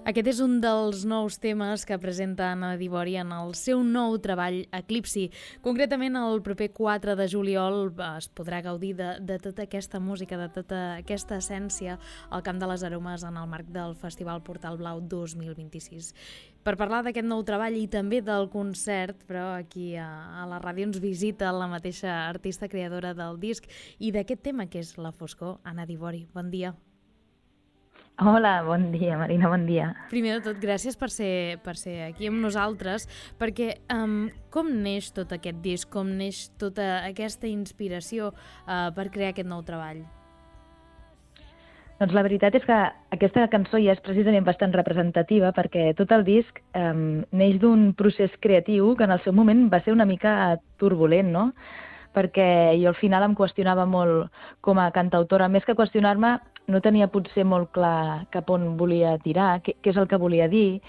Aquest és un dels nous temes que presenta Anna Dibori en el seu nou treball Eclipsi. Concretament, el proper 4 de juliol es podrà gaudir de tota aquesta música, de tota aquesta essència al Camp de les Aromes en el marc del Festival Portal Blau 2026. Per parlar d'aquest nou treball i també del concert, però aquí a la ràdio ens visita la mateixa artista creadora del disc i d'aquest tema que és la foscor, Anna Dibori. Bon dia. Hola, bon dia, Marina, bon dia. Primer de tot, gràcies per ser aquí amb nosaltres, perquè com neix tot aquest disc, com neix tota aquesta inspiració per crear aquest nou treball? Doncs la veritat és que aquesta cançó ja és precisament bastant representativa perquè tot el disc neix d'un procés creatiu que en el seu moment va ser una mica turbulent, no? Perquè jo al final em qüestionava molt com a cantautora. Més que qüestionar-me, no tenia potser molt clar cap on volia tirar, què és el que volia dir.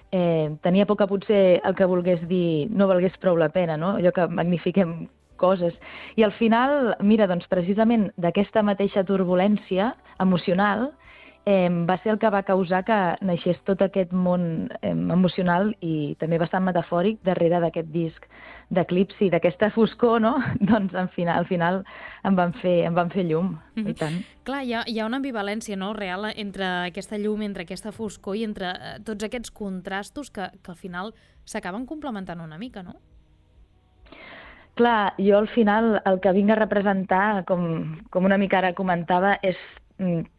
Tenia por que potser el que volgués dir no valgués prou la pena, no? Allò que magnifiquem coses. I al final, mira, doncs precisament d'aquesta mateixa turbulència emocional va ser el que va causar que naixés tot aquest món emocional i també bastant metafòric darrere d'aquest disc d'Eclipsi, d'aquesta foscor, no? Doncs al final em van fer llum, i tant. Clar, hi ha una ambivalència, no?, real entre aquesta llum, entre aquesta foscor i entre tots aquests contrastos que al final s'acaben complementant una mica, no? Clar, jo al final el que vinc a representar, com una mica ara comentava, és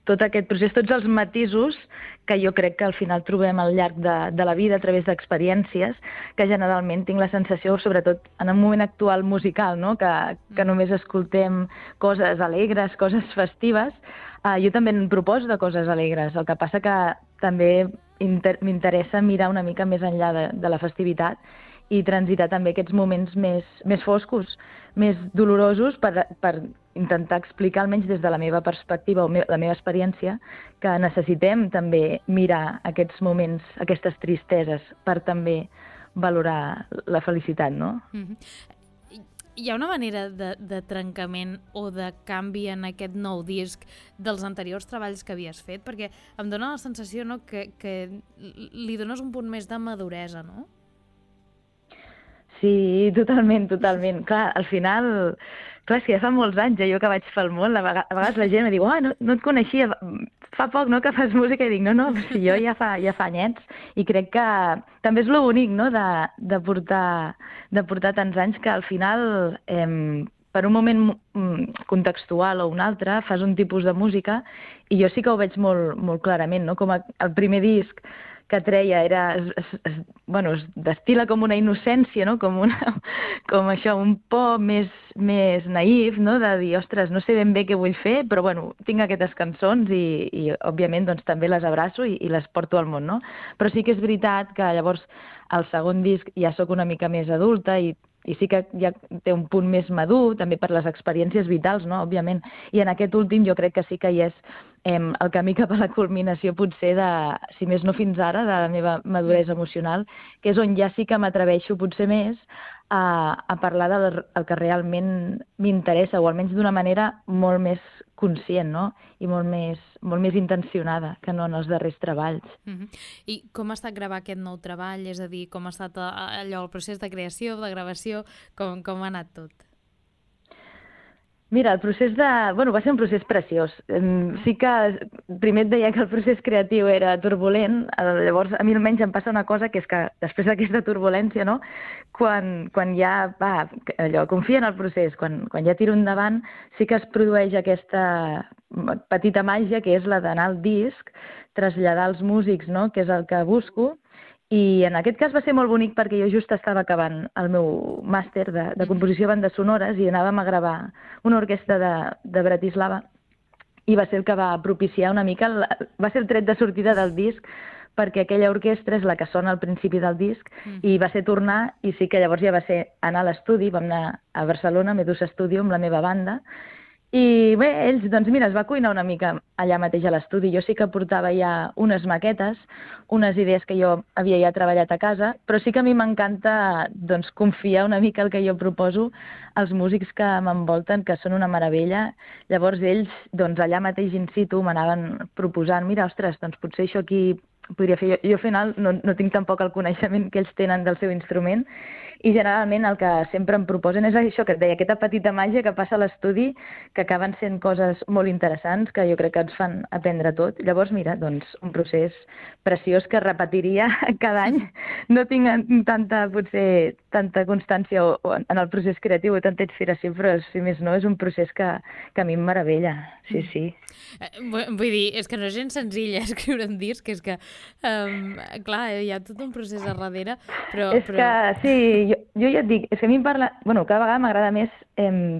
tot aquest procés, tots els matisos que jo crec que al final trobem al llarg de la vida a través d'experiències, que generalment tinc la sensació, sobretot en un moment actual musical, no? que només escoltem coses alegres, coses festives. Jo també en proposo de coses alegres, el que passa que també m'interessa mirar una mica més enllà de la festivitat i transitar també aquests moments més foscos, més dolorosos per intentar explicar, almenys des de la meva perspectiva o la meva experiència, que necessitem també mirar aquests moments, aquestes tristeses, per també valorar la felicitat, no? Hi ha una manera de trencament o de canvi en aquest nou disc dels anteriors treballs que havies fet? Perquè em dóna la sensació, no, que li dones un punt més de maduresa, no? Sí, totalment. Clar, al final, és que ja fa molts anys, jo que vaig pel món, a vegades la gent em diu, no et coneixia, fa poc, no?, que fas música, i dic, no, si jo ja fa anyets, i crec que també és lo bonic, no?, de portar tants anys, que al final, per un moment contextual o un altre, fas un tipus de música, i jo sí que ho veig molt, molt clarament, no?, com el primer disc que treia es destila com una innocència, no? Com això, un por més naïf, no? De dir, ostres, no sé ben bé què vull fer, però tinc aquestes cançons i òbviament doncs, també les abraço i les porto al món, no? Però sí que és veritat que llavors al segon disc ja sóc una mica més adulta i sí que ja té un punt més madur, també per les experiències vitals, no?, òbviament. I en aquest últim jo crec que sí que hi és el camí cap a la culminació potser de, si més no fins ara, de la meva maduresa emocional, que és on ja sí que m'atreveixo potser més a parlar del que realment m'interessa, o almenys d'una manera molt més conscient, no?, i molt més intencionada que no en els darrers treballs. I com ha estat gravar aquest nou treball? És a dir, com ha estat allò, el procés de creació, de gravació, com ha anat tot? Mira, el procés va ser un procés preciós. Sí que primer et deia que el procés creatiu era turbulent, llavors a mi almenys em passa una cosa, que és que després d'aquesta turbulència, no?, quan ja confia en el procés, quan ja tiro endavant, sí que es produeix aquesta petita màgia que és la d'anar al disc, traslladar als músics, no?, que és el que busco. I en aquest cas va ser molt bonic perquè jo just estava acabant el meu màster de composició de bandes sonores i anàvem a gravar una orquestra de Bratislava i va ser el que va propiciar una mica, va ser el tret de sortida del disc, perquè aquella orquestra és la que sona al principi del disc i va ser tornar, i sí que llavors ja va ser anar a l'estudi, vam anar a Barcelona, a Medusa Studio, amb la meva banda. I bé, ells, doncs mira, es va cuinar una mica allà mateix a l'estudi. Jo sí que portava ja unes maquetes, unes idees que jo havia ja treballat a casa, però sí que a mi m'encanta doncs, confiar una mica el que jo proposo als músics que m'envolten, que són una meravella. Llavors ells, doncs allà mateix in situ, m'anaven proposant, mira, ostres, doncs potser això aquí podria fer. Jo al final no tinc tampoc el coneixement que ells tenen del seu instrument, i generalment el que sempre em proposen és això que et deia, aquesta petita màgia que passa a l'estudi, que acaben sent coses molt interessants, que jo crec que ens fan aprendre tot. Llavors, mira, doncs, un procés preciós que repetiria cada any. No tinc potser tanta constància en el procés creatiu o tanta inspiració, però si més no, és un procés que a mi em meravella. Sí, sí. Vull dir, és que no és gens senzill escriure un disc, és que, clar, hi ha tot un procés a darrere, però... És que, sí, jo ja et dic, és que a mi cada vegada m'agrada més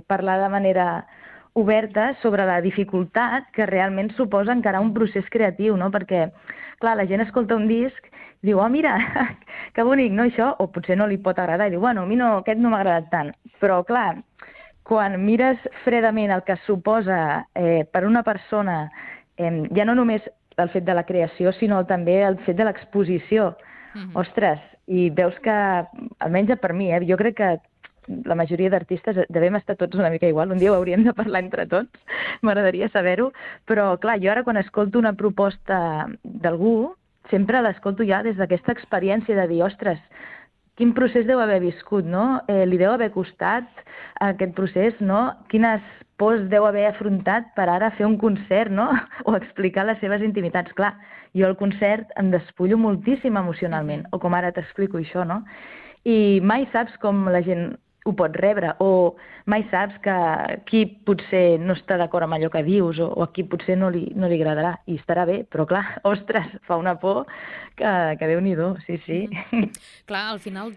parlar de manera oberta sobre la dificultat que realment suposa encarar un procés creatiu, no? Perquè, clar, la gent escolta un disc i diu, oh, mira, que bonic, no, això? O potser no li pot agradar i diu, bueno, a mi no, aquest no m'ha agradat tant. Però, clar, quan mires fredament el que suposa per una persona, ja no només el fet de la creació, sinó també el fet de l'exposició, ostres, i veus que, almenys per mi, jo crec que la majoria d'artistes devem estar tots una mica igual, un dia ho hauríem de parlar entre tots, m'agradaria saber-ho, però clar, jo ara quan escolto una proposta d'algú, sempre l'escolto ja des d'aquesta experiència de dir, ostres, quin procés deu haver viscut, no? Li deu haver costat aquest procés, no? Quines pors deu haver afrontat per ara fer un concert, no? O explicar les seves intimitats. Clar, jo al concert em despullo moltíssim emocionalment, o com ara t'explico això, no? I mai saps com la gent ho pot rebre, o mai saps que qui potser no està d'acord amb allò que dius, o a qui potser no li agradarà, i estarà bé, però clar, ostres, fa una por que Déu-n'hi-do, sí, sí. Clar, al final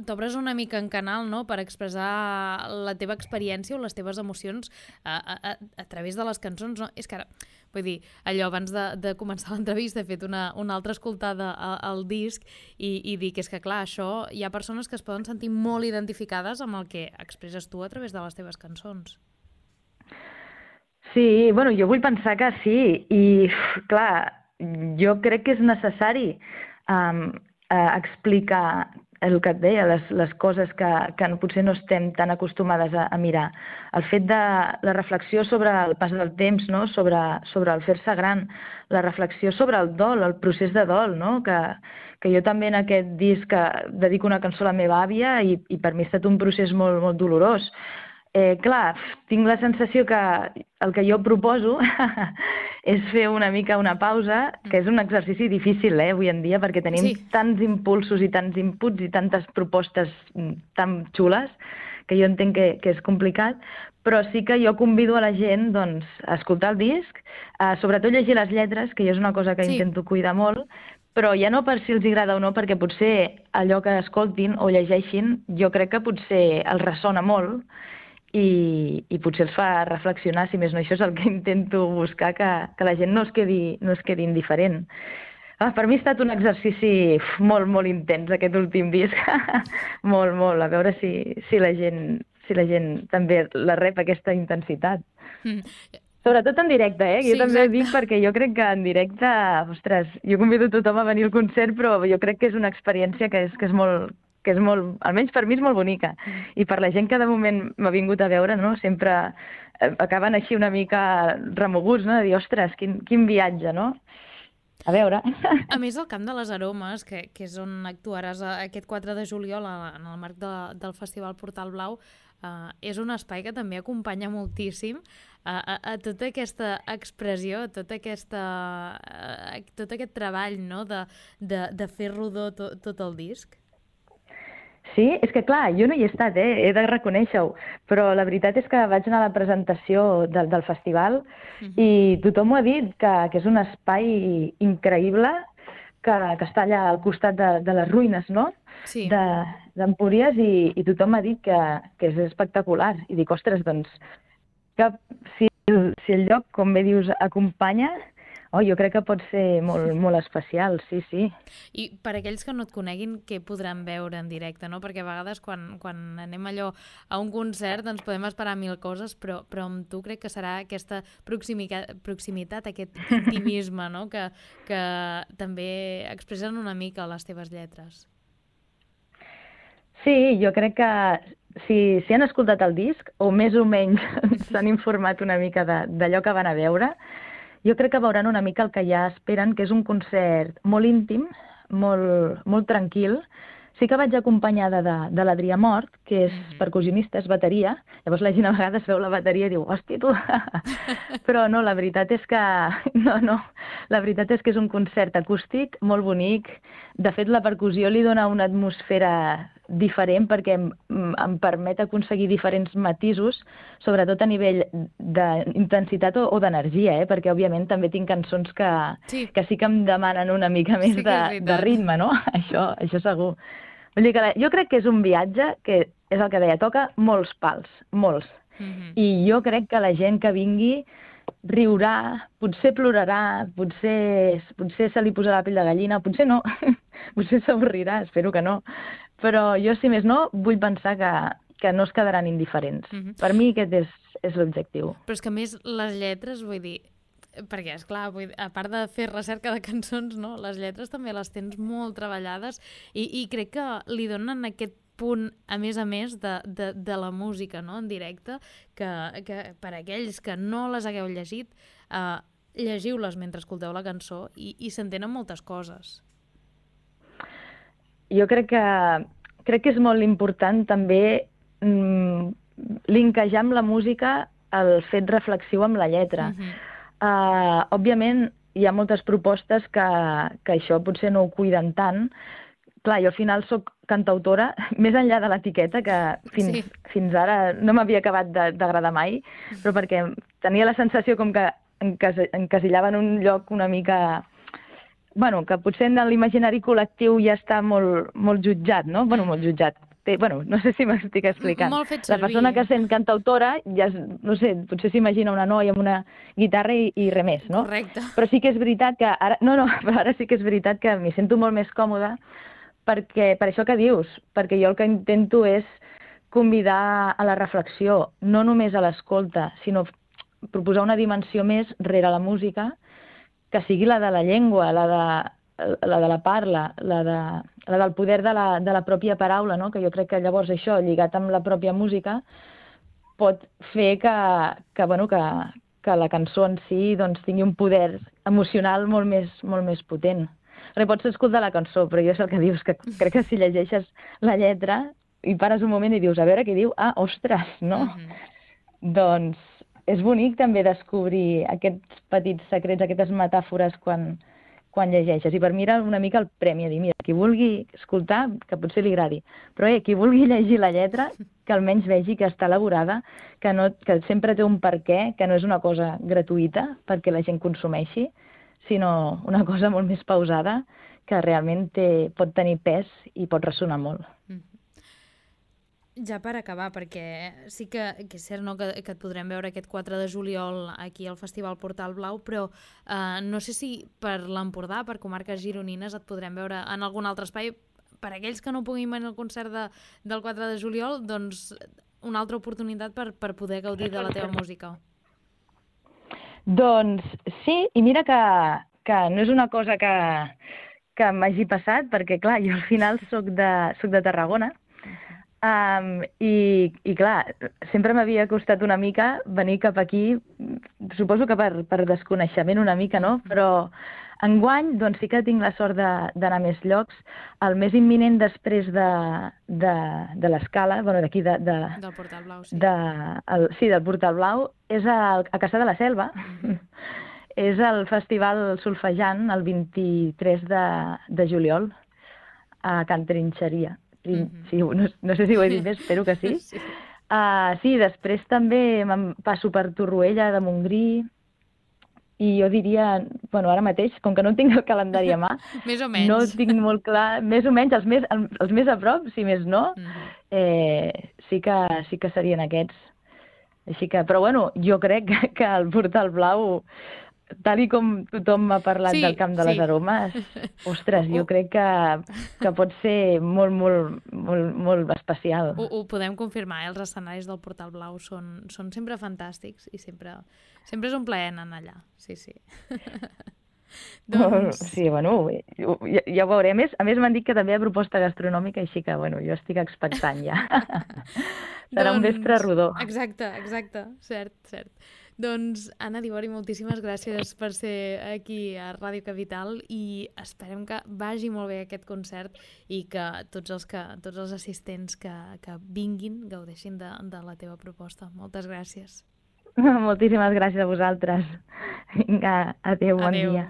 t'obres una mica en canal, no?, per expressar la teva experiència o les teves emocions a través de les cançons, no? És que ara, vull dir, allò, abans de començar l'entrevista he fet una altra escoltada al disc i dic, és que clar, això, hi ha persones que es poden sentir molt identificades amb el que expresses tu a través de les teves cançons. Sí, bueno, jo vull pensar que sí, i clar, jo crec que és necessari explicar el que et deia, les coses que potser no estem tan acostumades a mirar. El fet de la reflexió sobre el pas del temps, no? Sobre el fer-se gran, la reflexió sobre el dol, el procés de dol, no? Que jo també en aquest disc dedico una cançó a la meva àvia i per mi ha estat un procés molt, molt dolorós. Clar, tinc la sensació que el que jo proposo és fer una mica una pausa, que és un exercici difícil avui en dia, perquè tenim tants impulsos i tants inputs i tantes propostes tan xules que jo entenc que és complicat, però sí que jo convido a la gent doncs, a escoltar el disc, sobretot llegir les lletres, que jo és una cosa que intento cuidar molt, però ja no per si els agrada o no, perquè potser allò que escoltin o llegeixin jo crec que potser els ressona molt, i potser els fa reflexionar, si més no, això és el que intento buscar, que la gent no es quedi indiferent. Per mi ha estat un exercici molt, molt intens aquest últim disc, molt, molt, a veure si la gent també la rep aquesta intensitat. Sobretot en directe, jo també ho dic perquè jo crec que en directe, ostres, jo convido tothom a venir al concert, però jo crec que és una experiència que és molt, almenys per mi és molt bonica. I per la gent que de moment m'ha vingut a veure, no? Sempre acaben així una mica remoguts, no? De dir, ostres, quin viatge, no? A veure. A més, el Camp de les Aromes, que és on actuaràs aquest 4 de juliol en el marc del Festival Portal Blau, és un espai que també acompanya moltíssim a tota aquesta expressió, a tot aquest treball, no? de fer rodó tot el disc. Sí, és que clar, jo no hi he estat, he de reconèixer-ho, però la veritat és que vaig anar a la presentació del festival i tothom m'ho ha dit, que és un espai increïble, que està allà al costat de les ruïnes, no? Sí. D'Empúries, i tothom m'ha dit que és espectacular. I dic, ostres, doncs, que si el lloc, com bé dius, acompanya, jo crec que pot ser molt, molt especial, sí, sí. I per aquells que no et coneguin, què podran veure en directe, no? Perquè a vegades quan anem allò a un concert doncs podem esperar 1000 coses, però amb tu crec que serà aquesta proximitat, aquest intimisme, no? Que també expressen una mica les teves lletres. Sí, jo crec que si han escoltat el disc, o més o menys s'han informat una mica d'allò que van a veure, jo crec que veuran una mica el que ja esperen, que és un concert molt íntim, molt tranquil. Sí que vaig acompanyada de l'Adrià Mort, que és percussionista, és bateria. Llavors la gent a vegades veu la bateria i diu, hòstia, tu! Però no, la veritat és que... No, la veritat és que és un concert acústic molt bonic. De fet, la percussió li dona una atmosfera diferent perquè em permet aconseguir diferents matisos, sobretot a nivell d'intensitat o d'energia, perquè òbviament també tinc cançons que sí que em demanen una mica més de ritme, no? Això segur. Vull dir que jo crec que és un viatge que, és el que deia, toca molts pals, molts. I jo crec que la gent que vingui riurà, potser plorarà, potser se li posarà la pell de gallina, potser no, potser s'avorrirà, espero que no. Però jo, si més no, vull pensar que no es quedaran indiferents. Per mi aquest és l'objectiu. Però és que a més les lletres, vull dir, perquè, esclar, a part de fer recerca de cançons, no? Les lletres també les tens molt treballades i crec que li donen aquest punt, a més, de la música, no?, en directe, que per aquells que no les hagueu llegit, llegiu-les mentre escolteu la cançó i s'entenen moltes coses. Jo crec que és molt important també linkejar amb la música el fet reflexiu amb la lletra. Òbviament, hi ha moltes propostes que això potser no ho cuiden tant. Clar, jo al final soc cantautora, més enllà de l'etiqueta, que fins ara no m'havia acabat d'agradar mai, però perquè tenia la sensació com que encasillava en un lloc una mica... Bueno, que potser en l'imaginari col·lectiu ja està molt jutjat, no? Bueno, molt jutjat. No sé si m'estic explicant. La persona que sent cantautora, ja, no sé, potser s'imagina una noia amb una guitarra i res més, no? Correcte. Però sí que és veritat que ara... però ara sí que és veritat que m'hi sento molt més còmoda per això que dius, perquè jo el que intento és convidar a la reflexió, no només a l'escolta, sinó proposar una dimensió més rere la música, que sigui la de la llengua, la de la parla, la del poder de la pròpia paraula, no? Que jo crec que llavors això, lligat amb la pròpia música, pot fer que la cançó en si doncs, tingui un poder emocional molt més potent. Perquè pots escoltar la cançó, però jo és el que dius, que crec que si llegeixes la lletra i pares un moment i dius, a veure què diu, ostres, no? Doncs és bonic també descobrir aquests petits secrets, aquestes metàfores quan llegeixes. I per mi era una mica el premi, a dir, mira, qui vulgui escoltar, que potser li agradi, però qui vulgui llegir la lletra, que almenys vegi que està elaborada, que sempre té un perquè, que no és una cosa gratuïta perquè la gent consumeixi, sinó una cosa molt més pausada, que realment pot tenir pes i pot ressonar molt. Ja per acabar, perquè sí que és cert, no, que et podrem veure aquest 4 de juliol aquí al Festival Portal Blau, però no sé si per l'Empordà, per comarques gironines, et podrem veure en algun altre espai. Per aquells que no puguin venir al concert del 4 de juliol, doncs una altra oportunitat per poder gaudir de la teva música. Doncs sí, i mira que no és una cosa que m'hagi passat, perquè clar, jo al final soc de Tarragona, i clar, sempre m'havia costat una mica venir cap aquí, suposo que per desconeixement una mica, no? Però enguany doncs sí que tinc la sort d'anar a més llocs. El més imminent després de l'Escala, d'aquí del Portal Blau, sí. Sí, del Portal Blau, és a Cassà de la Selva. És el festival solfejant el 23 de juliol a Can Trinxeria. Sí, no sé si ho he dit bé, espero que sí. Sí, després també me'n passo per Torroella de Montgrí i jo diria, ara mateix, com que no tinc el calendari a mà, més o menys. No tinc molt clar, més o menys, els més a prop, si més no, sí que serien aquests. Així que, però jo crec que el Portal Blau, tal com tothom m'ha parlat del Camp de les Aromes, ostres, jo crec que pot ser molt, molt, molt, molt especial. Ho podem confirmar, els escenaris del Portal Blau són sempre fantàstics i sempre és un plaer anar allà, sí. Doncs... Sí, ja ho veurem. A més, m'han dit que també hi ha proposta gastronòmica, així que, jo estic expectant ja. Serà un vespre rodó. Exacte, cert. Doncs, Anna Dibori, moltíssimes gràcies per ser aquí a Ràdio Capital i esperem que vagi molt bé aquest concert i que tots els assistents que vinguin gaudeixin de la teva proposta. Moltes gràcies. Moltíssimes gràcies a vosaltres. Vinga, adéu, bon dia.